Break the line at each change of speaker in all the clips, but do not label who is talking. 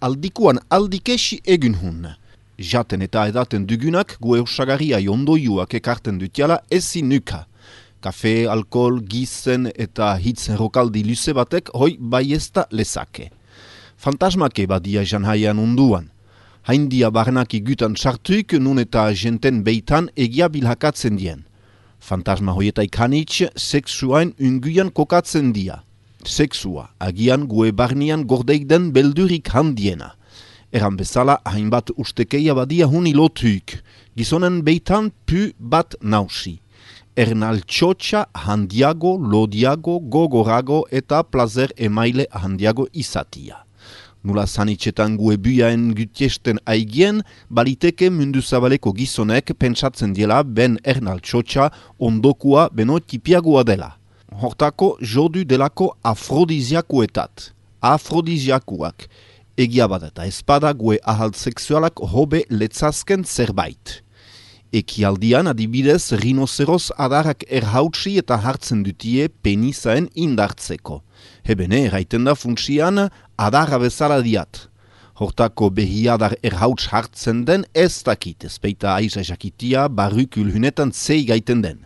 aldikuan aldikesi egin hun. Jaten eta edaten dugunak gue osagaria ondoiuak ekarten dutiala ezin nuka. Kafe, alkohol, gizen eta hitzen rokaldi luze batek hoi baiesta lezake. Fantasmake badia janhaian unduan. Haindia barnaki gutan txartuik nun eta jenten beitan egia bilhakatzen dien. Fantasma hoietaik hanitz, seksuain unguian kokatzen dia. Seksua, agian gue barnian gordeik den beldurik handiena. Eran bezala, hainbat ustekeia badia huni lotuik. Gizonen beitan pu bat nausi. Ernaltxotxa handiago, lodiago, gogorago eta plazer emaile handiago izatia. Nula sanitxetan gue buiaen gutiesten aigien, baliteke mundu zabaleko gizonek pentsatzen diela ben ernaltxotxa ondokua beno tipiagoa dela. Hortako jodu delako afrodiziakuetat. Afrodiziakuak. Egia bat eta espada gue ahalt seksualak hobe letzazken zerbait. Ekialdian adibidez rinozeroz adarrak erhautsi eta hartzen dutie penizaen indartzeko. Hebene eraiten da funtsian adarra bezala diat. Hortako behiadar erhauts hartzen den ez dakit, ezpeita aiza jakitia barrukul hunetan zei gaiten den.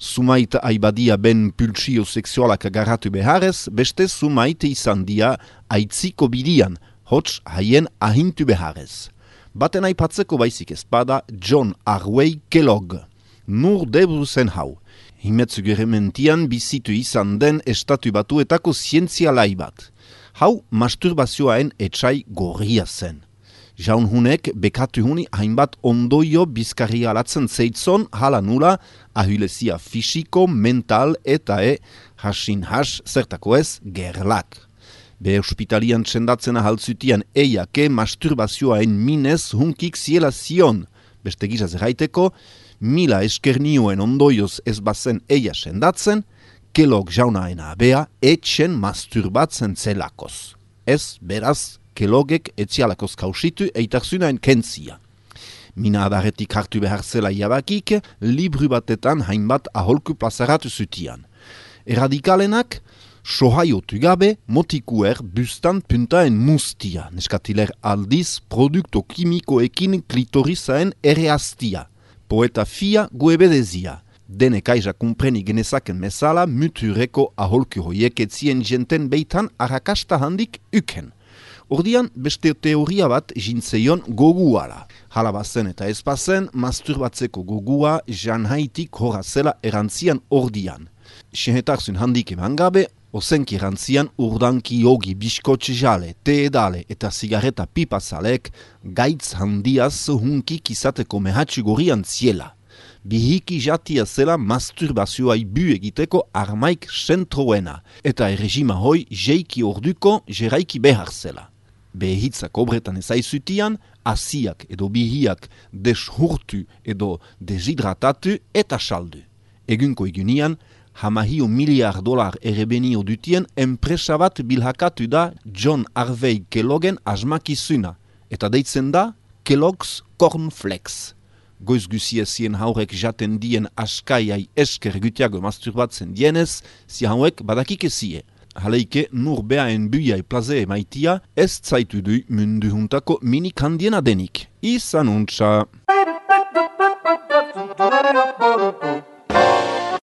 Sumait aibadia ben pultsio seksualak agarratu beharrez, beste sumait izan dia aitziko bidian, hots haien ahintu beharrez. Baten aipatzeko baizik ezpada John Harvey Kellogg. Nur debru zen hau. Himetzugerementian bizitu izan den estatu batuetako zientzialai bat. Hau masturbazioaen etxai gorria zen. Jaun hunek bekatu huni hainbat ondoio bizkarri alatzen zeitzon hala nula ahulezia fisiko, mental eta hasin has zertako ez gerlak. Be hospitalian txendatzen ahaltzutian eiake masturbazioaen minez hunkik ziela zion. Beste gizaz erraiteko, mila eskernioen ondoioz ez bazen eia sendatzen, Kellogg jaunaena abea etxen masturbatzen zelakoz. Ez beraz, Kelloggek etzialakoz kausitu eitarzunaen kentzia. Mina adarretik hartu behar zela jabakik, libru batetan hainbat aholku plazaratu zutian. Erradikalenak, sohaiotu gabe motikuer bustan puntaen mustia, neskatiler aldiz produkto kimikoekin klitorizaen ereaztia. Poeta fia goebedezia. Denek aiza kumpreni genezaken mesala mutureko aholku hoiek etzien jenten beitan arrakasta handik uken. Ordian beste teoria bat jintzeion goguala. Halabazen eta ezpazen masturbatzeko gogua janhaitik horra zela erantzian ordian. Xehetarzun handik eman gabe, ozenki erantzian urdanki jogi biskotxe jale, te edale eta zigareta pipazalek gaitz handiaz hunkik izateko mehatxu gorian ziela. Bihiki jatia zela masturbazioa ibu egiteko armaik sentroena eta erregima hoi jeiki orduko jeraiki behar zela. Behitzak obretan ezaizutian, asiak edo bihiak deshurtu edo deshidratatu eta saldu. Egunko egunian, $1 miliard erebenio dutien enpresa bat bilhakatu da John Harvey Kelloggen asmakizuna, eta deitzen da Kellogg's Cornflakes. Goiz guziezien haurek jaten dien askaiai esker gutiago masturbatzen dienez, si hauek badakik ezie. Haleike nur beaen buiai plaze maitia ez zaitu du mundu juntako minik handiena denik. Izan untsa!